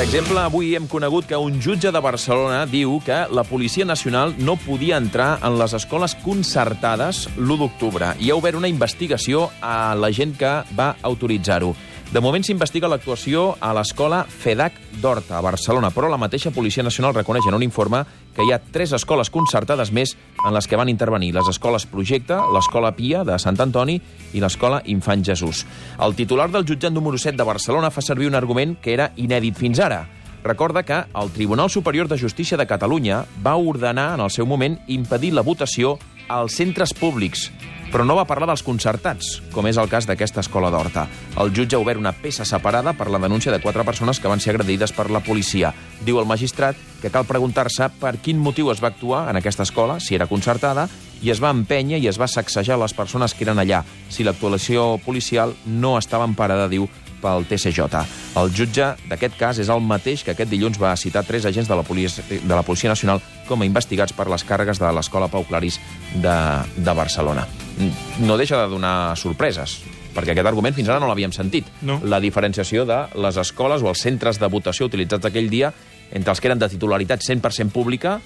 exemple, avui hem conegut que un jutge de Barcelona diu que la Policia Nacional no podia entrar en les escoles concertades l'1 d'octubre. Hi ha obert una investigació a la gent que va autoritzar-ho. De moment s'investiga l'actuació a l'escola FEDAC d'Horta, a Barcelona, però la mateixa Policia Nacional reconeix en un informe que hi ha 3 escoles concertades més en les que van intervenir: les escoles Projecte, l'escola Pia de Sant Antoni i l'escola Infant Jesús. El titular del jutjat número 7 de Barcelona fa servir un argument que era inèdit fins ara. Recorda que el Tribunal Superior de Justícia de Catalunya va ordenar en el seu moment impedir la votació als centres públics, però no va parlar dels concertats, com és el cas d'aquesta escola d'Horta. El jutge ha obert una peça separada per la denúncia de 4 persones que van ser agredides per la policia. Diu el magistrat que cal preguntar-se per quin motiu es va actuar en aquesta escola, si era concertada, i es va empènyer i es va sacsejar les persones que eren allà, si l'actuació policial no estava emparada, diu, pel TSJ. El jutge d'aquest cas és el mateix que aquest dilluns va citar 3 agents de la Policia Nacional com a investigats per les càrregues de l'escola Pau Claris de Barcelona. No deixa de donar sorpreses, perquè aquest argument fins ara no l'havíem sentit. No. La diferenciació de les escoles o els centres de votació utilitzats aquell dia entre els que eren de titularitat 100% pública,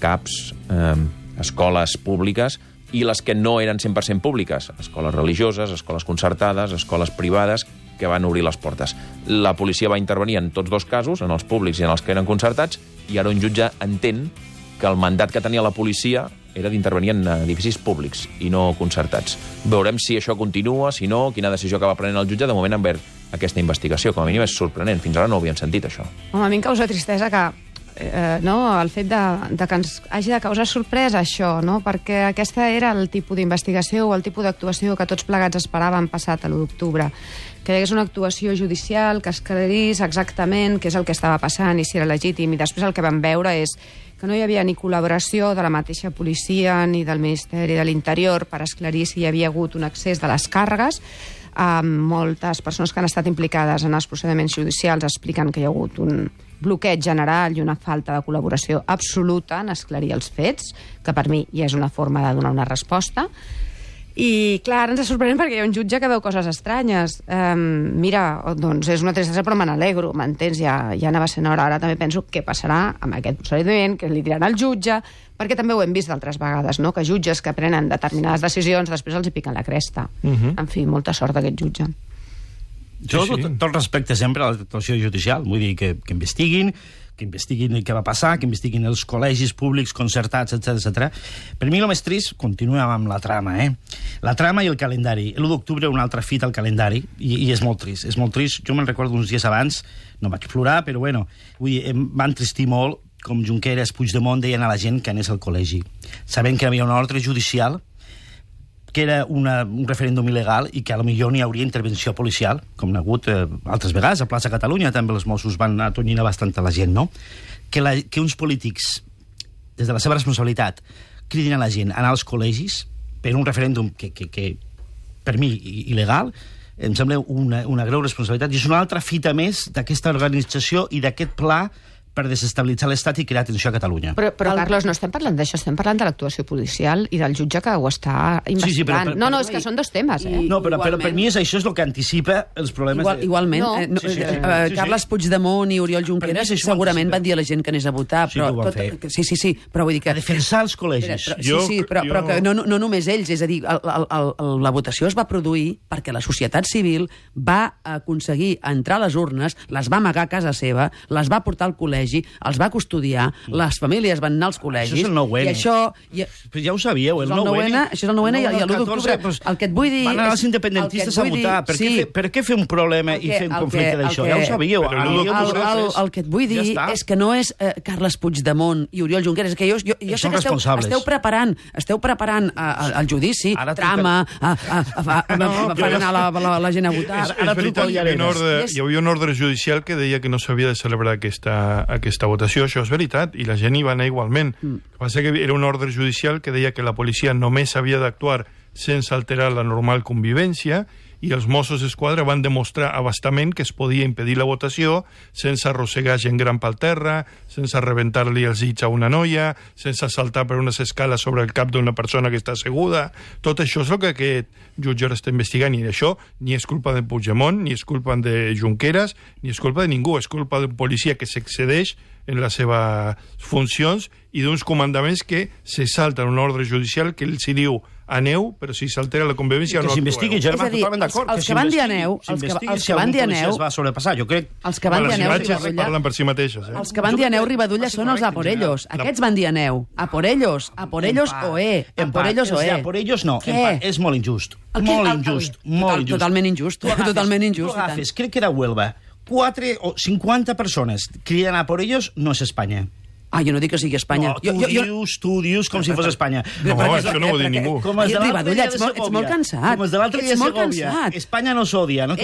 CAPs, escoles públiques, i les que no eren 100% públiques, escoles religioses, escoles concertades, escoles privades, que van obrir les portes. La policia va intervenir en tots 2 casos, en els públics i en els que eren concertats, i ara un jutge entén que el mandat que tenia la policia era d'intervenir en edificis públics i no concertats. Veurem si això continua, si no, quina decisió acaba prenent el jutge. De moment han obert aquesta investigació. Com a mínim és sorprenent. Fins ara no ho havíem sentit, això. Home, a mi em causa tristesa que el fet de que ens hagi de causar sorpresa això, no? Perquè aquesta era el tipus d'investigació o el tipus d'actuació que tots plegats esperàvem passat a l'1 d'octubre. Que hi hagués una actuació judicial, que es aclarís exactament què és el que estava passant i si era legítim. I després el que vam veure és que no hi havia ni col·laboració de la mateixa policia ni del Ministeri de l'Interior per esclarir si hi havia hagut un excés de les càrregues. Moltes persones que han estat implicades en els procediments judicials expliquen que hi ha hagut un bloqueig general i una falta de col·laboració absoluta en esclarir els fets, que per mi ja és una forma de donar una resposta. I, clar, ens sorprèn perquè hi ha un jutge que veu coses estranyes. Mira, doncs és una tristesa, però me n'alegro, m'entens? Ja anava sent hora. Ara també penso què passarà amb aquest procediment, que li diran al jutge, perquè també ho hem vist d'altres vegades, no? Que jutges que prenen determinades decisions després els hi piquen la cresta. En fi, molta sort d'aquest jutge. Jo tot respecte sempre a l'actuació judicial, vull dir que investiguin què va passar, que investiguin els col·legis públics concertats, etc. Per mi el més trist, continuem amb la trama, la trama i el calendari. L'1 d'octubre una altra fita al calendari, i és molt trist, és molt trist. Jo me'n recordo uns dies abans, no vaig plorar, però bueno, em va entristir molt com Junqueras, Puigdemont deien a la gent que anés al col·legi, sabent que hi havia una ordre judicial, que era un referèndum il·legal i que a lo millor n'hi hauria intervenció policial, com n'ha hagut altres vegades. A Plaça Catalunya també els Mossos van atonyir bastant a la gent, no? Que uns polítics, des de la seva responsabilitat, cridin a la gent a anar als col·legis per un referèndum que per mi, il·legal, em sembla una greu responsabilitat. I és una altra fita més d'aquesta organització i d'aquest pla per desestabilitzar l'Estat i crear tensió a Catalunya. Però Carlos, no estem parlant d'això, estem parlant de l'actuació policial i del jutge que ho està investigant. Sí, no, és que són 2 temes, No, però per mi això és el que anticipa els problemes... Igualment. Carles Puigdemont i Oriol Junqueras segurament van dir a la gent que anés a votar. Sí, que ho van fer. Sí, però vull dir que... A defensar els col·legis. Però que no només ells, és a dir, la votació es va produir perquè la societat civil va aconseguir entrar a les urnes, les va amagar a casa seva, les va portar al col·legi, els va custodiar, les famílies van anar als col·legis... Això és el 9N. I això... Però ja ho sabíeu, el 9N... Això és el 9N i l'1 d'octubre. El que et vull dir... Van anar els independentistes a votar. Per què fer un problema i fer un conflicte d'això? Ja ho sabíeu. El que et vull dir és que no és Carles Puigdemont i Oriol Junqueras, que jo sé que esteu preparant el judici, trama, fan anar la gent a votar... És veritat, hi havia un ordre judicial que deia que no s'havia de celebrar aquesta votació, això és veritat, i la gent hi va anar igualment. El que passa que era un ordre judicial que deia que la policia només havia d'actuar sense alterar la normal convivència i els Mossos d'Esquadra van demostrar abastament que es podia impedir la votació sense arrossegar gent gran pel terra, sense rebentar-li els dits a una noia, sense saltar per unes escales sobre el cap d'una persona que està asseguda. Tot això és el que aquest jutge està investigant, i això ni és culpa de Puigdemont, ni és culpa de Junqueras, ni és culpa de ningú, és culpa d'un policia que s'excedeix en les seves funcions i d'uns comandaments que se salten un ordre judicial que els diu aneu, però si s'altera la convivència no actueu. Que s'investigui, Germà, totalment d'acord. Els que van dir aneu, els que van dir aneu... es va sobrepassar, jo crec... Els que van dir aneu, Ribadulla... parlen per si mateixes, Els que van dir aneu, Ribadulla, són els a por ellos. Aquests van dir aneu. A por ellos oe. A por ellos oe. A por ellos no. És molt injust. Molt injust. Totalment injust. Totalment injust. Tu agafes, crec que era Huelva, 4 o 50 persones cridant a por ellos, no és Espanya. Jo no dic que sigui Espanya. No, tu dius com si fos Espanya. No, això no ho diu ningú. Com els de l'altre dia de Segovia. Ets molt cansat. Com els de l'altre dia de Segovia. Espanya no s'odia. No,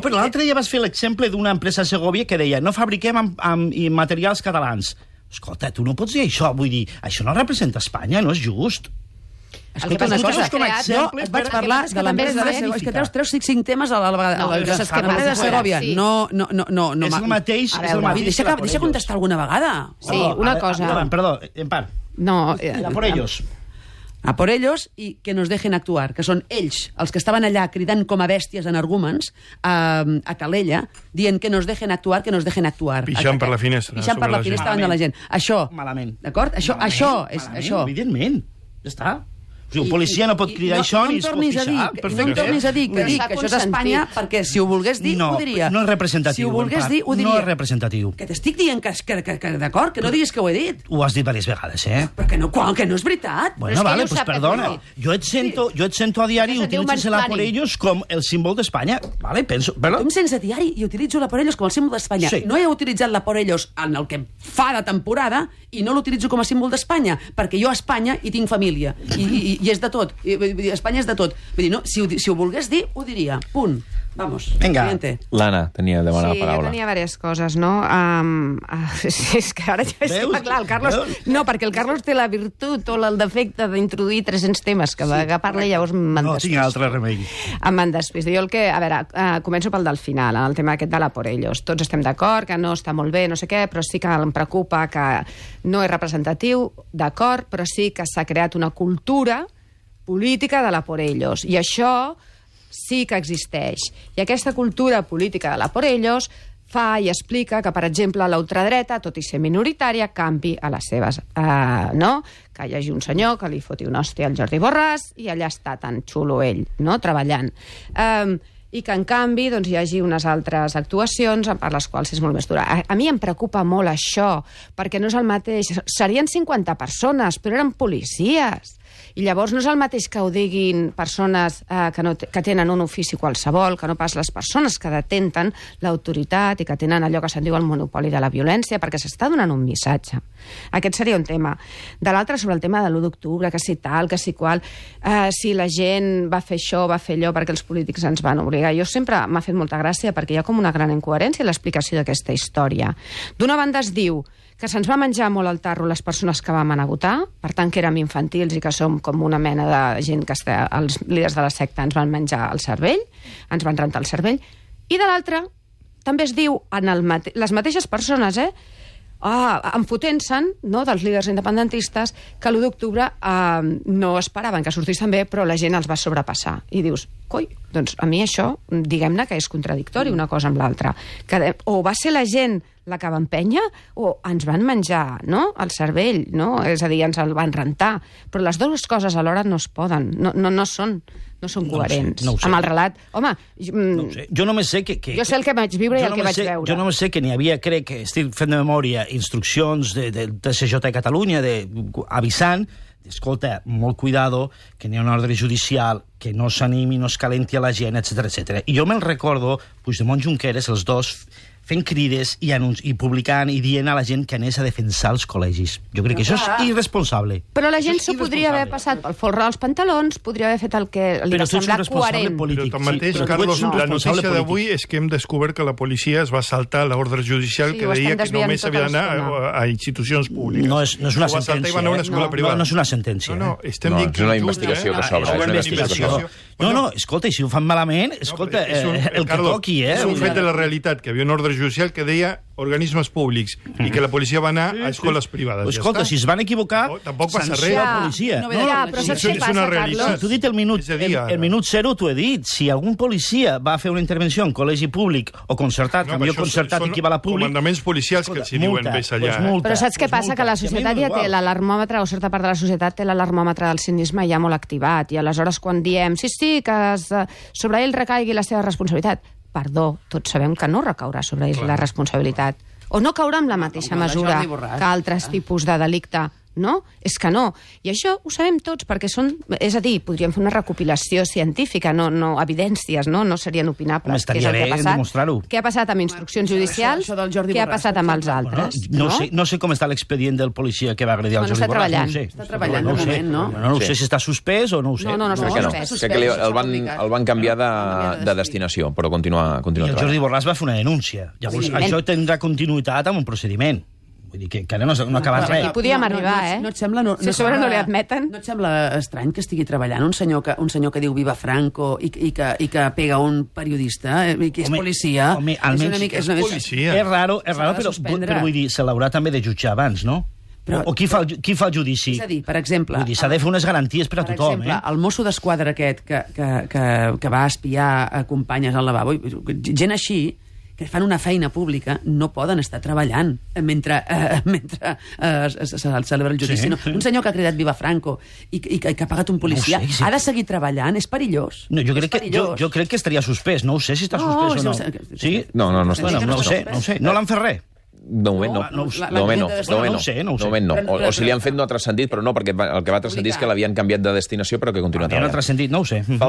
però l'altre dia vas fer l'exemple d'una empresa a Segovia que deia no fabriquem amb materials catalans. Escolta, tu no pots dir això. Vull dir, això no representa Espanya, no és just. Escolta, una cosa, jo et vaig parlar de l'empresa de Segovia. És que treus 5 temes a la vegada. L'empresa de Segovia. No. És el mateix. Deixa contestar alguna vegada. Sí, una cosa. Perdó, en part. No. A por ellos. A por ellos, i que nos dejen actuar, que són ells, els que estaven allà cridant com a bèsties energúmens a Calella, dient que nos dejen actuar, que nos dejen actuar. Pixant per la finestra. Pixant per la finestra davant de la gent. Això. Malament. D'acord? Això és això. Evidentment. Ja està. Un policia no pot cridar això ni es pot pixar. No em tornis a dir que això és Espanya, perquè si ho volgués dir, ho diria. No és representatiu. Si ho volgués dir, ho diria. No és representatiu. Que t'estic dient que d'acord, que no diguis que ho he dit. Ho has dit diverses vegades, Perquè no, que no és veritat. Bueno, vale, pues perdona. Jo et sento a diari i utilitzes la por ellos com el símbol d'Espanya. Vale, penso... Tu em sents a diari i utilitzo la por ellos com el símbol d'Espanya. No he utilitzat la por ellos en el que fa de temporada i no l'utilitzo com a símbol d'Espanya, perquè jo a Espanya hi tinc família. I és de tot. Espanya és de tot. Vull dir, no, si ho volgués dir, ho diria. Punt. Vamos. Vinga. L'Anna tenia de demanar la paraula. Sí, jo tenia diverses coses, no? És que ara ja està clar, el Carlos... No, perquè el Carlos té la virtut o el defecte d'introduir 300 temes que parla i llavors me'n despís. No tinc altre remei. Me'n despís. Jo el que... A veure, començo pel del final, el tema aquest de la por ellos. Tots estem d'acord, que no està molt bé, no sé què, però sí que em preocupa que no és representatiu, d'acord, però sí que s'ha creat una cultura política de la por ellos. I això sí que existeix. I aquesta cultura política de la por ellos fa i explica que, per exemple, la ultradreta, tot i ser minoritària, canvi a les seves... no? Que hi hagi un senyor que li foti una hòstia al Jordi Borràs i allà està tan xulo ell, no?, treballant. I que, en canvi, doncs, hi hagi unes altres actuacions per les quals és molt més dura. A mi em preocupa molt això, perquè no és el mateix... Serien 50 persones, però eren policies. I llavors no és el mateix que ho diguin persones que tenen un ofici qualsevol, que no pas les persones que detenten l'autoritat i que tenen allò que se'n diu el monopoli de la violència, perquè s'està donant un missatge. Aquest seria un tema. De l'altre, sobre el tema de l'1 d'octubre, que si tal, que si qual, si la gent va fer això, va fer allò, perquè els polítics ens van obligar. Jo sempre m'ha fet molta gràcia, perquè hi ha com una gran incoherència en l'explicació d'aquesta història. D'una banda es diu que se'ns va menjar molt al tarro les persones que vam anar a votar, per tant que érem infantils i que som com una mena de gent que els líders de la secta ens van menjar el cervell, ens van rentar el cervell, i de l'altra també es diu les mateixes persones, enfotent-se'n, no, dels líders independentistes, que l'1 d'octubre no esperaven que sortís tan bé, però la gent els va sobrepassar. I dius, coi, doncs a mi això, diguem-ne que és contradictori una cosa amb l'altra. O va ser la gent la que va empènyer, o ens van menjar, no?, el cervell, no? És a dir, ens el van rentar. Però les dues coses alhora no es poden, no són coherents amb el relat. Home, no sé. Jo només sé que... Jo sé el que vaig viure i el que vaig veure. Jo només sé que n'hi havia, crec que estic fent de memòria, instruccions del TSJ de Catalunya avisant, escolta, molt cuidado, que n'hi ha un ordre judicial, que no s'animi, no es calenti a la gent, etc etc. I jo me'n recordo, Puigdemont, Junqueras, els dos fent crides i publicant i dient a la gent que anés a defensar els col·legis. Jo crec que això és irresponsable. Però la gent s'ho podria haver passat pel folre dels pantalons, podria haver fet el que li va semblar coherent. Però tanmateix, Carlos, la notícia d'avui és que hem descobert que la policia es va saltar l'ordre judicial que deia que només havia d'anar a institucions públiques. No és una sentència. No és una sentència. No, és una investigació que s'obre. És una investigació. No, escolta, i si ho fan malament, escolta, el que toqui, És un fet de la realitat, que hi havia un ordre judicial que deia organismes públics i que la policia va anar a escoles privades. Escolta, si es van equivocar, tampoc passa res. La policia. Però saps què passa, Carlos? Tu has dit el minut 0, t'ho he dit. Si algun policia va fer una intervenció en col·legi públic o concertat, que millor concertat equival a públic... Comandaments policials que els diuen més allà. Però saps què passa? Que la societat ja té l'alarmòmetre, o certa part de la societat té l'alarmòmetre del cinisme ja molt activat, i aleshores quan diem sí, que sobre ell recaigui la seva responsabilitat, perdó, tots sabem que no recaurà sobre ell la responsabilitat. O no caurà amb la mateixa mesura que altres tipus de delicte. No? És que no. I això ho sabem tots, perquè són... És a dir, podríem fer una recopilació científica, no evidències, no serien opinables. Què és el que ha passat? Què ha passat amb instruccions judicials? Què ha passat amb els altres? No sé com està l'expedient del policia que va agredir el Jordi Borràs. Està treballant de moment, no? No sé si està suspès o no ho sé. No està suspès. Crec que el van canviar de destinació, però continua I el Jordi Borràs va fer una denúncia. Llavors, això tindrà continuïtat amb un procediment. Vull dir que encara no ha acabat res. Aquí podíem arribar, No et sembla... Si a sobre no li admeten. No et sembla estrany que estigui treballant un senyor que diu Viva Franco i que pega un periodista i que és policia? Home, almenys és policia. És raro, però vull dir, se l'haurà també de jutjar abans, no? O qui fa el judici? És a dir, per exemple... S'ha de fer unes garanties per a tothom, Per exemple, el mosso d'esquadra aquest que va espiar a companyes al lavabo, gent així, que fan una feina pública, no poden estar treballant mentre se celebra el judici. Sí. Un senyor que ha cridat Viva Franco i que ha pagat un policia, ha de seguir treballant? És perillós. No, jo crec que estaria suspès. No ho sé si està suspès o no. Sí? No està. No ho sé. No l'han fet res. De moment no. O si li han fet no ha transcendit, però no, perquè el que va transcendir és que l'havien canviat de destinació, però que continua treballant. No ha transcendit, no ho sé.